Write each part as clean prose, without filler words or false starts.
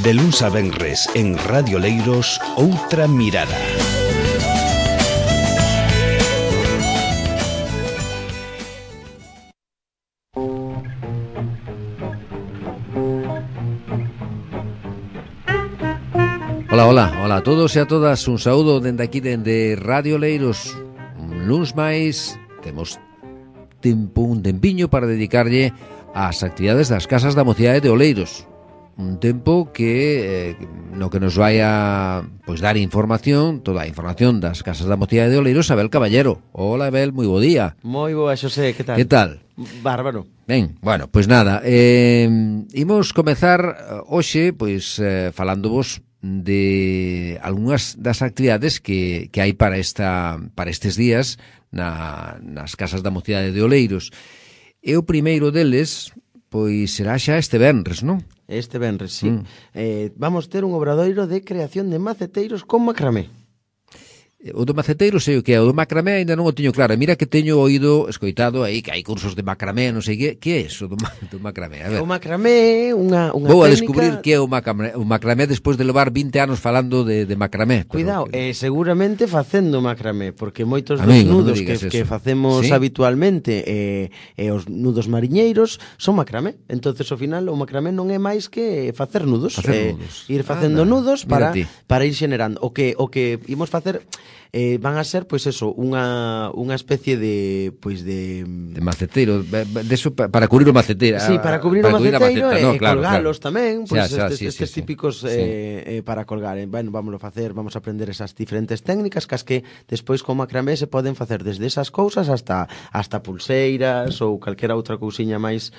De luns a venres en Radio Leiros, Outra Mirada. Hola a todos e a todas, un saúdo dende aquí, dende Radio Leiros. Un luns máis, temos un tempiño para dedicarlle ás actividades das casas da mocidade de Oleiros. Un tempo que no que nos vai a dar información, toda a información das casas da mocidade de Oleiros, Abel Caballero. Hola Abel, moi bo día. Moi boa, Xosé, que tal? Que tal? Bárbaro. Ben, bueno, pois nada, imos comezar hoxe falándovos de algunhas das actividades que hai para estes días nas casas da mocidade de Oleiros. E o primeiro deles pois será xa este venres, non? Este venres, sí. Vamos ter un obradoiro de creación de maceteiros con macramé. O do maceteiro sei o que é, o do macramé ainda non o teño claro. Mira que teño escoitado aí que hai cursos de macramé, non sei que é eso do macramé. A ver. O macramé é unha Vou técnica... a descubrir que é o macramé despois de levar 20 anos falando de macramé. Cuidado, seguramente facendo macramé, porque moitos dos Amigo, nudos que facemos habitualmente os nudos mariñeiros son macramé. Entonces ao final o macramé non é máis que facer nudos. Ir facendo nudos para ir xenerando. O que imos facer van a ser, pois eso, unha especie de maceteiro, deso para cubrir o maceteiro. Sí, para cubrir o maceteiro e colgalos tamén, pois estes típicos para colgar. Bueno, vámoslo facer, vamos a aprender esas diferentes técnicas que despois con macramé se poden facer desde esas cousas hasta pulseiras ou calquera outra cousiña máis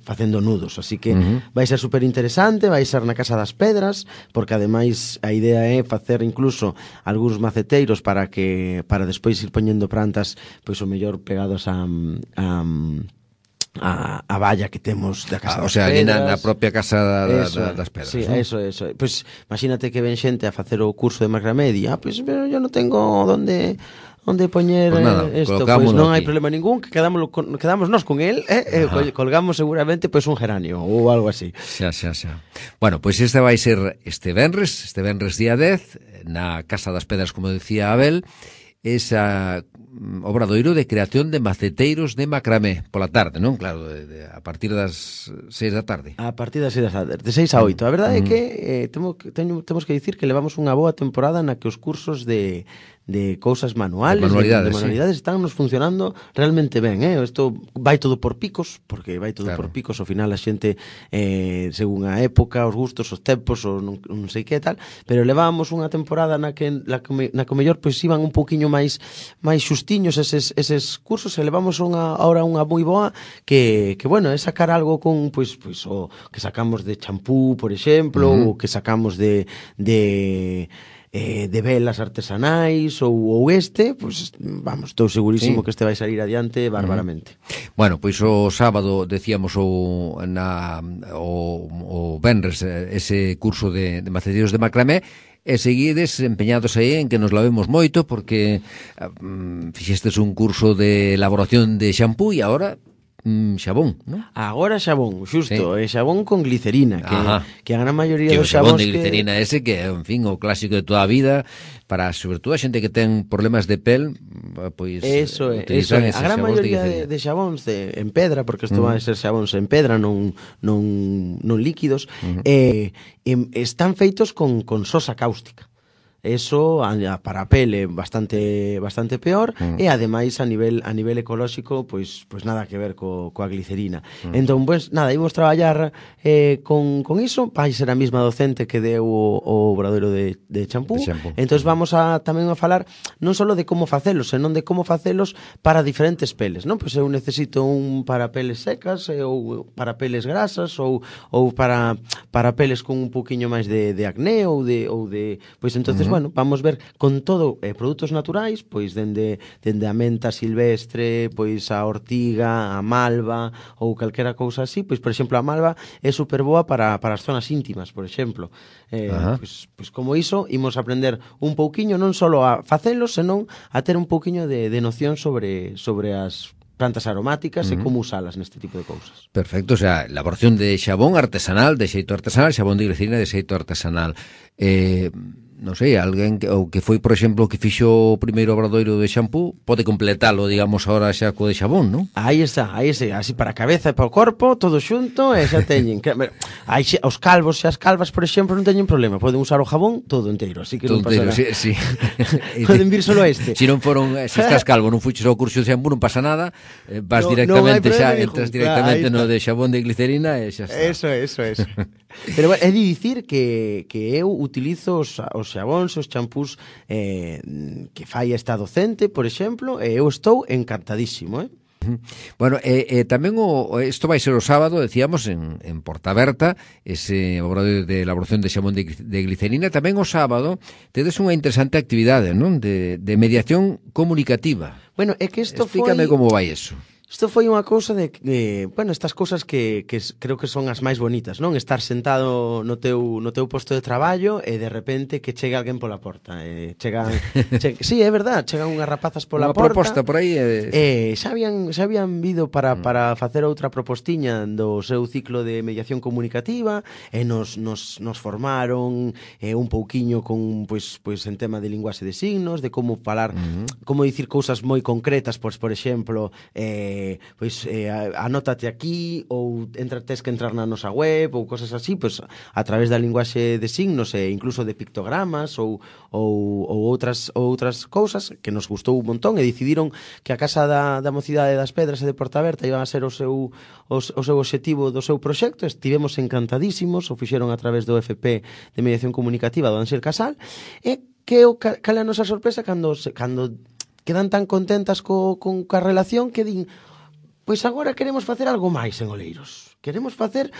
facendo nudos. Así que vai ser super interesante, vai ser na Casa das Pedras, porque ademais a idea é facer incluso algúns maceteiros para despois ir poñendo plantas pois o mellor pegados a valla que temos da Casa das Pedras. O sea, ali na propia Casa das Pedras. Sí, ¿no? Eso. Pois imagínate que ven xente a facer o curso de macramé e pero yo non tengo onde poñer isto, pois non hai problema ningún, que quedamos nós con el, colgamos seguramente pois un geranio ou algo así. Xa. Bueno, pois este vai ser este venres día 10, na Casa das Pedras, como decía Abel, esa obradoiro de creación de maceteiros de macramé pola tarde, non? Claro, a partir das 6 da tarde. A partir das 6 da tarde, de 6 a 8. A verdade é que temos que dicir que levamos unha boa temporada na que os cursos de cousas manuales, de manualidades, están nos funcionando realmente ben, Isto vai todo por picos, porque vai todo por picos, ao final a xente según a época, os gustos, os tempos, ou non sei que tal, pero levábamos unha temporada na que mellor pois iban un pouquiño máis xustiños eses cursos, e levamos ahora unha moi boa que bueno, é sacar algo con pois o que sacamos de champú, por exemplo, ou que sacamos de velas artesanais ou pois vamos, estou segurísimo que este vai salir adiante barbaramente. Bueno, pois o sábado decíamos o venres ese curso de maceteiros de macramé, e seguides empeñados aí en que nos lavemos moito, porque fixestes un curso de elaboración de xampú e agora xabón, non? Agora xabón, xusto, xabón con glicerina, que a gran maioría dos xabón xabóns de glicerina ese que é, en fin, o clásico de toda a vida para, sobre todo, a xente que ten problemas de pel, pois eso é. A gran maioría de xabóns en pedra, porque isto van a ser xabóns en pedra, non líquidos, están feitos con sosa cáustica. Eso para a pele bastante peor, e ademais a nivel ecolóxico pois nada que ver coa glicerina. Entón, pois nada, imos traballar con iso, vai ser a mesma docente que deu o obradoiro de champú. Entón vamos tamén a falar non só de como facelos, senón de como facelos para diferentes peles, non? Pois eu necesito un para peles secas, ou para peles grasas, ou para peles con un poquinho máis de acné ou de pois entonces bueno, vamos ver con todo produtos naturais, pois dende a menta silvestre, pois a ortiga, a malva ou calquera cousa así. Pois por exemplo, a malva é super boa para as zonas íntimas, por exemplo. Pois como iso, imos aprender un pouquiño non só a facelos, senón a ter un pouquiño de noción sobre as plantas aromáticas e como usalas neste tipo de cousas. Perfecto, o sea, elaboración de xabón artesanal, de xeito artesanal, xabón de glicerina de xeito artesanal. Non sei, alguén que foi, por exemplo, que fixo o primeiro obradoiro de xampú, pode completalo, digamos, ahora xa co de xabón, non? Aí está, así para a cabeza e para o corpo, todo xunto, e xa teñen. Aí os calvos e as calvas, por exemplo, non teñen problema, poden usar o jabón todo enteiro, así que todo non pasará. Sí. Poden vir solo este. Si non foron, se estás calvo, non fuches ao curso de xampú, non pasa nada, vas directamente xa, entras directamente no de xabón de glicerina e xa está. Eso. Pero é de dicir que eu utilizo os xabóns, os champús que fai esta docente, por exemplo, e eu estou encantadísimo, Bueno, tamén isto vai ser o sábado, decíamos, en Portaberta, ese obradoiro de elaboración de xabón de glicerina. Tamén o sábado tedes unha interesante actividade, non? De mediación comunicativa. Bueno, é que isto Explícame como vai eso. Isto foi unha cousa bueno, estas cousas que creo que son as máis bonitas, non? Estar sentado no teu posto de traballo e de repente que chegue alguén pola porta. Sí, é verdad, chegan unhas rapazas pola porta. Unha proposta por aí. Xa habían vido para facer outra propostiña do seu ciclo de mediación comunicativa e nos formaron un pouquiño con pois en tema de linguaxe de signos, de como falar, como dicir cousas moi concretas, pois por exemplo, anótate aquí ou tes que entrar na nosa web ou cosas así, pois a través da linguaxe de signos e incluso de pictogramas ou outras cousas que nos gustou un montón e decidiron que a Casa da Mocidade das Pedras e de Portaberta iban a ser o seu obxectivo do seu proxecto. Estivemos encantadísimos, o fixeron a través do FP de Mediación Comunicativa do Ansel Casal, e cal é a nosa sorpresa cando quedan tan contentas ca relación que din: pois agora queremos facer algo máis en Oleiros. Queremos facer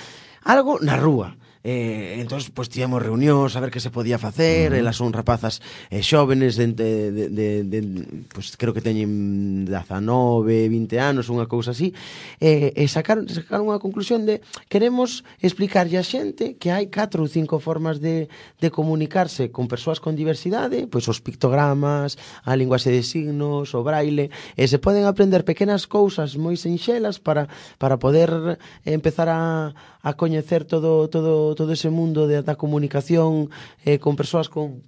algo na rúa. Entón, pois tivemos reunións a ver que se podía facer. Elas son rapazas xóvenes pois creo que teñen 19, 20 anos, unha cousa así, e sacaron unha conclusión de: queremos explicarlle a xente que hai 4 ou 5 formas de comunicarse con persoas con diversidade, pois os pictogramas, a linguaxe de signos, o braille, e se poden aprender pequenas cousas moi sinxelas para poder empezar a coñecer todo ese mundo da comunicación con persoas con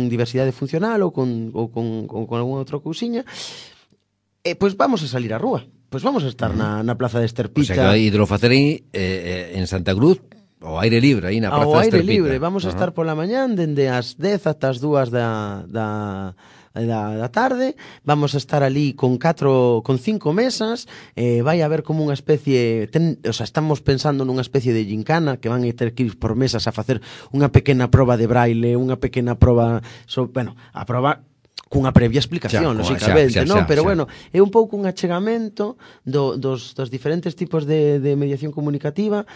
diversidade funcional ou con algunha outra cousiña. Pois vamos a salir á rúa. Pois vamos a estar na Plaza de Esterpita. O sea, que vai de facer aí en Santa Cruz, ao aire libre, aí na Plaza de Esterpita. Ao aire libre, vamos a estar pola mañán dende as 10 ata as 2 da tarde. Vamos a estar ali con 5 mesas, vai haber como unha especie, estamos pensando nunha especie de gincana que van a ter que ir por mesas a facer unha pequena proba de braille, unha pequena proba, a proba cunha previa explicación, lógicamente, non? Pero bueno, é un pouco un achegamento dos diferentes tipos de mediación comunicativa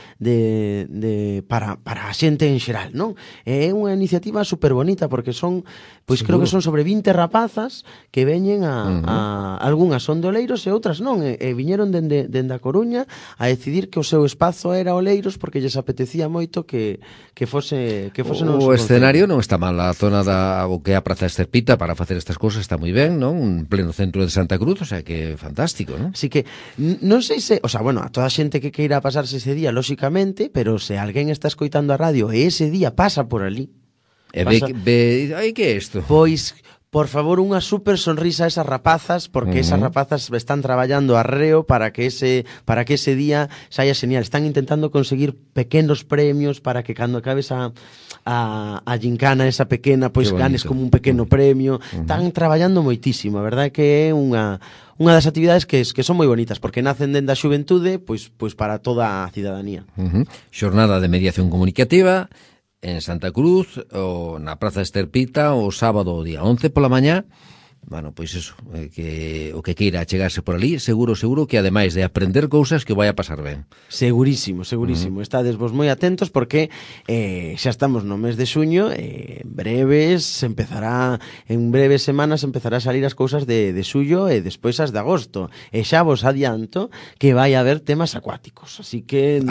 para a xente en xeral, non? É unha iniciativa super bonita porque son, pois creo que son sobre 20 rapazas que veñen algunhas son de Oleiros e outras non, e viñeron dende a Coruña a decidir que o seu espazo era Oleiros porque lles apetecía moito que fose o escenario non está mal, a zona o que é a Praza Esterpita para facer estas cousas está moi ben, non? Un pleno centro de Santa Cruz, o sea que fantástico, non? Así que non sei se, a toda a xente que queira pasarse ese día, lóxicamente, pero se alguén está escoitando a radio e ese día pasa por ali, ai, que é isto? Pois, por favor, unha super sonrisa a esas rapazas, porque esas rapazas están traballando arreo para que ese día saia genial. Están intentando conseguir pequenos premios para que cando acabes a gincana esa pequena, pois ganes como un pequeno premio. Están traballando moitísimo, a verdade que é unha das actividades que son moi bonitas, porque nacen dende a xuventude, pois para toda a cidadanía. Xornada de mediación comunicativa en Santa Cruz, ou na Praza Esterpita, o sábado día 11 pola mañá. Bueno, pois eso, o que queira chegarse por ali, seguro que ademais de aprender cousas que o vai a pasar ben. Segurísimo. Estades vos moi atentos porque xa estamos no mes de xuño, en breves semanas empezará a salir as cousas de xullo e despois as de agosto. E xa vos adianto que vai haber temas acuáticos, así que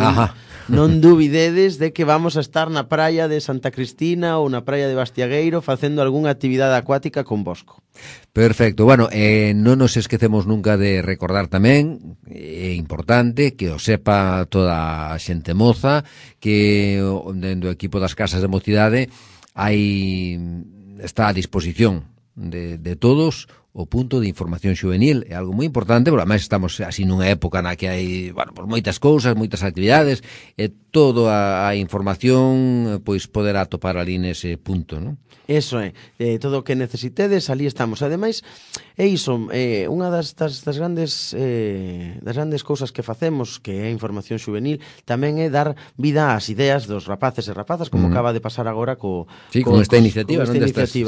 non dubidedes de que vamos a estar na praia de Santa Cristina ou na praia de Bastiagueiro facendo algunha actividade acuática con vosco. Perfecto, bueno, non nos esquecemos nunca de recordar tamén, é importante que o sepa toda a xente moza, que dentro do equipo das casas de mocidade está a disposición de todos o punto de información xuvenil. É algo moi importante, porque ademais estamos así nunha época na que hai, bueno, pues moitas cousas, moitas actividades, e toda a información pois poderá topar ali nese punto, non? Eso é, todo o que necesitedes, ali estamos. Ademais, é iso, unha das grandes cousas que facemos, que é a información xuvenil, tamén é dar vida ás ideas dos rapaces e rapazas, como acaba de pasar agora con esta iniciativa. Sí.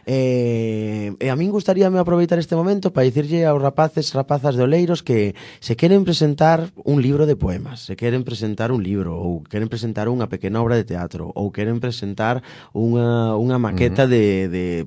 E a min gustaríame aproveitar este momento para dicirlle aos rapaces e rapazas de Oleiros que se queren presentar un libro de poemas, se queren presentar un libro, ou queren presentar unha pequena obra de teatro, ou queren presentar unha maqueta de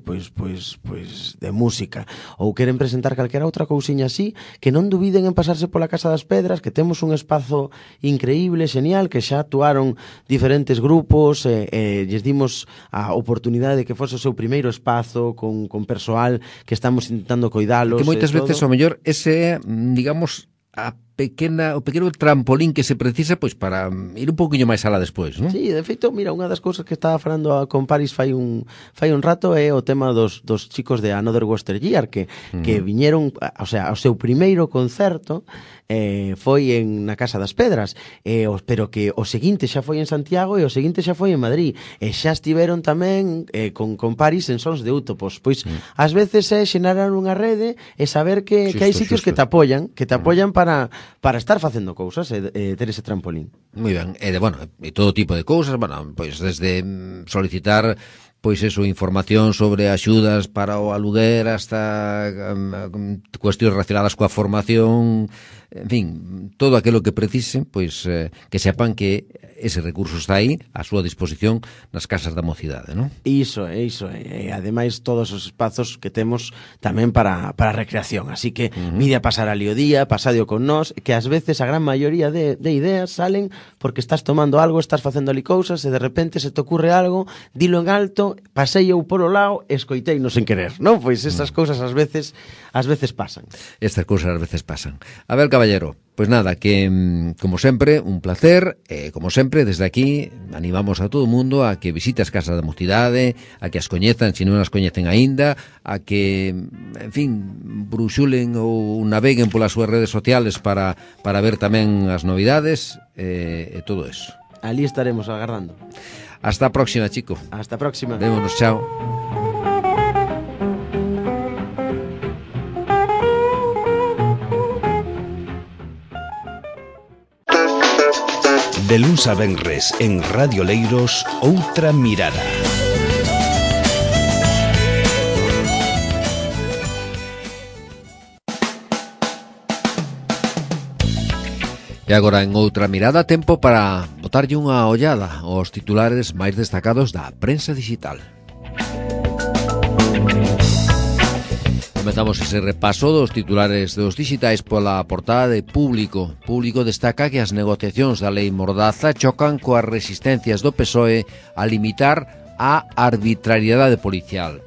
música, ou queren presentar calquera outra cousiña así, que non dubiden en pasarse pola Casa das Pedras, que temos un espazo increíble, xenial, que xa actuaron diferentes grupos, lles dimos a oportunidade de que fose o seu primeiro espazo con persoal que estamos intentando coidalos. Que moitas veces, ao mellor, ese é, digamos, o pequeno trampolín que se precisa pois para ir un pouquiño máis alá despois, non? Sí, de feito, mira, unha das cousas que estaba falando con Paris fai un rato é o tema dos chicos de Another Western Year que viñeron, o sea, o seu primeiro concerto foi na Casa das Pedras, pero que o seguinte xa foi en Santiago e o seguinte xa foi en Madrid, e xa estiveron tamén con Paris en Sons de Útopos. Pois ás veces é xenerar unha rede e saber que hai sitios que te apoian para estar facendo cousas e ter ese trampolín. Moi ben, e todo tipo de cousas, bueno, pois desde solicitar pois eso, información sobre axudas para o aluguer hasta cuestións relacionadas coa formación, en fin, todo aquilo que precisen, pois que sepan que ese recurso está aí a súa disposición nas casas da mocidade, non? Iso é, ademais todos os espazos que temos tamén para a recreación, así que mide a pasar ali o día, pasadio con nós, que ás veces a gran maioría de ideas salen porque estás tomando algo, estás facendo ali cousas e de repente se te ocurre algo, dilo en alto, pasei eu polo lado e escoiteino sen querer, non? Pois estas cousas ás veces pasan. Estas cousas ás veces pasan. A ver, caballero, pois nada, que como sempre, un placer, como sempre, desde aquí animamos a todo o mundo a que visite as casas da mocidade, a que as coñezan, se non as coñecen aínda, a que, en fin, bruxulen ou naveguen polas súas redes sociales para ver tamén as novidades e todo eso. Ali estaremos agardando. Hasta a próxima, chico. Hasta a próxima. Vémonos, chao. De luns a venres en Radio Leiros, outra mirada. E agora en outra mirada, tempo para botarlle unha ollada aos titulares máis destacados da prensa digital. Comezamos ese repaso dos titulares dos digitais pola portada de Público. Público destaca que as negociacións da lei Mordaza chocan coas resistencias do PSOE a limitar a arbitrariedade policial.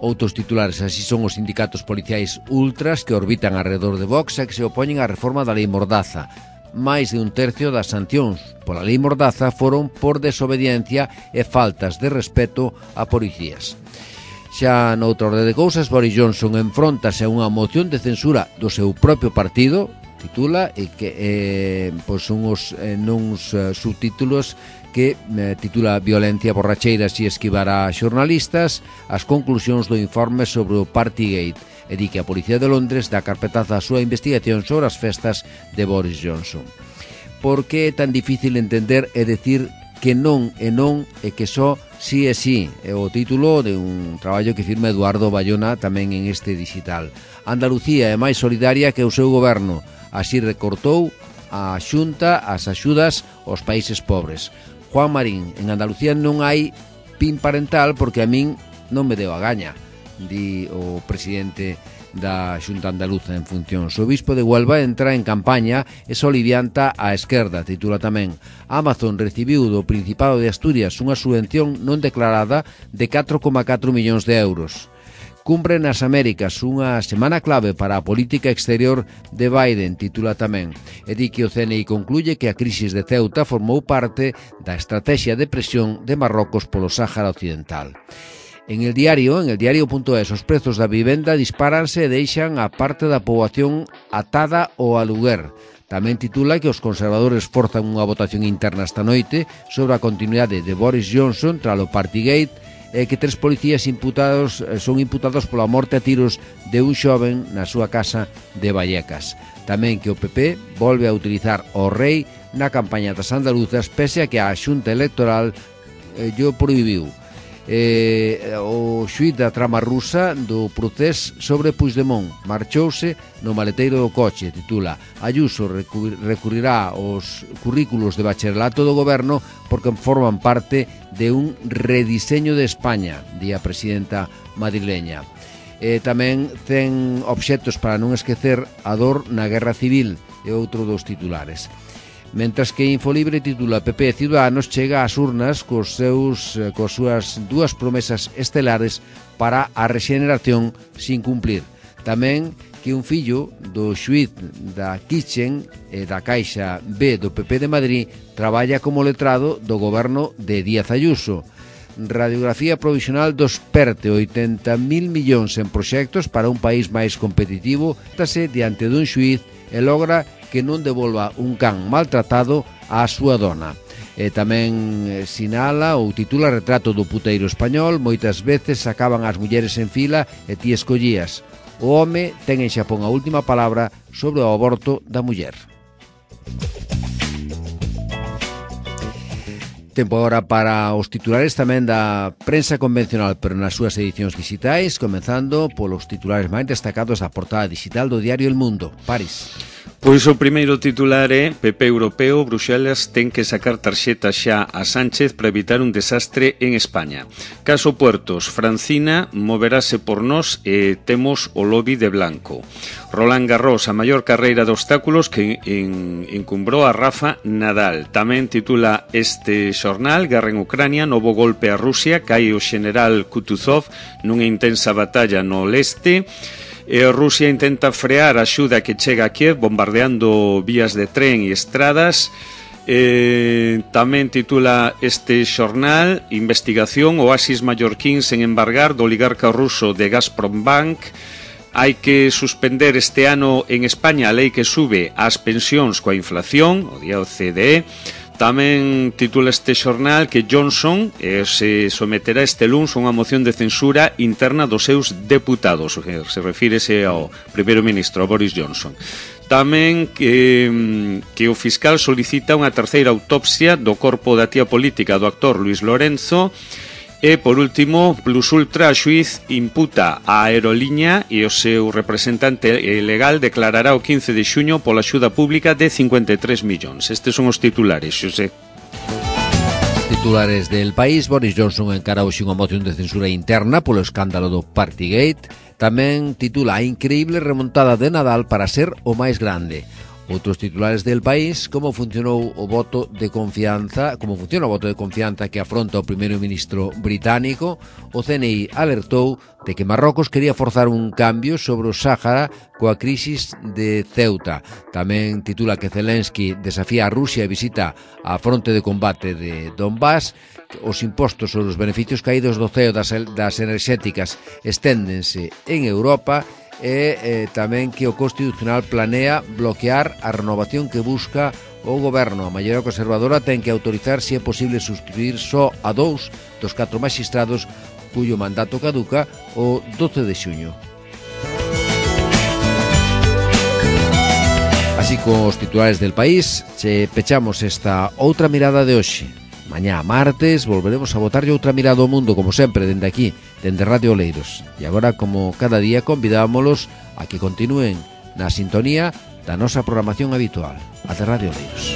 Outros titulares así son os sindicatos policiais ultras que orbitan alrededor de Vox e que se opoñen á reforma da lei Mordaza. Máis de un tercio das sancións pola lei Mordaza foron por desobediencia e faltas de respeto a policías. Xa noutra orde de cousas, Boris Johnson enfróntase a unha moción de censura do seu propio partido, titula, e que son nuns subtítulos que titula Violencia, borracheiras e esquivar a xornalistas, as conclusións do informe sobre o Partygate, e di que a Policía de Londres dá carpetazo á súa investigación sobre as festas de Boris Johnson. Por que é tan difícil entender e decir que non e non e que só sí e sí? É o título de un traballo que firma Eduardo Bayona tamén en este digital. Andalucía é máis solidaria que o seu goberno. Así recortou a Xunta as axudas aos países pobres. Juan Marín, en Andalucía non hai PIN parental porque a min non me deu a gaña, di o presidente da Xunta Andaluza en funcións. O bispo de Huelva entra en campaña e solivianta a esquerda, titula tamén. Amazon recibiu do Principado de Asturias unha subvención non declarada de 4,4 millóns de euros. Cumbre nas Américas, unha semana clave para a política exterior de Biden, titula tamén. E di que o CNI concluye que a crisis de Ceuta formou parte da estrategia de presión de Marrocos polo Sáhara Occidental. En el diario.es, os prezos da vivenda dispáranse e deixan a parte da poboación atada ao aluguer. Tamén titula que os conservadores forzan unha votación interna esta noite sobre a continuidade de Boris Johnson tralo Partygate e que 3 policías son imputados pola morte a tiros de un xoven na súa casa de Vallecas. Tamén que o PP volve a utilizar o rei na campaña das andaluzas pese a que a Xunta Electoral llo prohibiu. O xuíz da trama rusa do procés sobre Puigdemont marchouse no maleteiro do coche, titula. Ayuso recurrirá aos currículos de bacharelato do goberno porque forman parte de un rediseño de España, di a presidenta madrileña. Tamén ten obxectos para non esquecer a dor na guerra civil, é outro dos titulares. Mentras que Infolibre titula PP Ciudadanos chega ás urnas cos súas 2 promesas estelares para a rexeneración sin cumplir. Tamén que un fillo do xuíz da Kitchen e da Caixa B do PP de Madrid traballa como letrado do goberno de Díaz Ayuso. Radiografía provisional dos PERTE, 80.000 millóns en proxectos para un país máis competitivo, tase diante dun xuíz e logra que non devolva un can maltratado á súa dona. E tamén sinala ou titula Retrato do puteiro español, moitas veces acaban as mulleres en fila e ti escollías. O home ten en Xapón a última palabra sobre o aborto da muller. Tempo agora para os titulares tamén da prensa convencional, pero nas súas edicións digitais, comenzando polos titulares máis destacados da portada digital do diario El Mundo. París. Pois o primeiro titular é PP europeo, Bruxelas ten que sacar tarxeta xa a Sánchez para evitar un desastre en España. Caso Puertos, Francina moverase por nós e temos o lobby de Blanco. Roland Garros, a maior carreira de obstáculos que encumbrou a Rafa Nadal. Tamén titula este xornal, Guerra en Ucrania, novo golpe a Rusia, cae o xeneral Kutuzov nunha intensa batalla no leste. Rusia intenta frear a axuda que chega a Kiev bombardeando vías de tren e estradas. Tamén titula este xornal, investigación, oasis mallorquíns en embargar do oligarca ruso de Gazprombank. Hai que suspender este ano en España a lei que sube as pensións coa inflación, o día OCDE. Tamén titula este xornal que Johnson se someterá este luns a unha moción de censura interna dos seus deputados, se refírese ao primeiro ministro, Boris Johnson. Tamén que o fiscal solicita unha terceira autopsia do corpo da tía política do actor Luis Lorenzo. E, por último, Plus Ultra, a xuiz imputa a aeroliña e o seu representante legal declarará o 15 de xuño pola axuda pública de 53 millóns. Estes son os titulares, Xosé. Titulares del País. Boris Johnson encara hoxe unha moción de censura interna polo escándalo do Partygate. Tamén titula a increíble remontada de Nadal para ser o máis grande. Outros titulares del País, como funciona o voto de confianza que afronta o primeiro ministro británico. O CNI alertou de que Marrocos quería forzar un cambio sobre o Sáhara coa crisis de Ceuta. Tamén titula que Zelensky desafía a Rusia e visita a fronte de combate de Donbass. Os impostos sobre os beneficios caídos do CEO das enerxéticas esténdense en Europa. E tamén que o Constitucional planea bloquear a renovación que busca o goberno. A maioría conservadora ten que autorizar se é posible substituir só a 2 dos 4 magistrados cuyo mandato caduca o 12 de xuño. Así con os titulares del País pechamos esta outra mirada de hoxe. Mañá martes volveremos a botarlle outra mirada ao mundo, como sempre, dende aquí, dende Radio Oleiros. E agora, como cada día, convidámolos a que continúen na sintonía da nosa programación habitual, a de Radio Oleiros.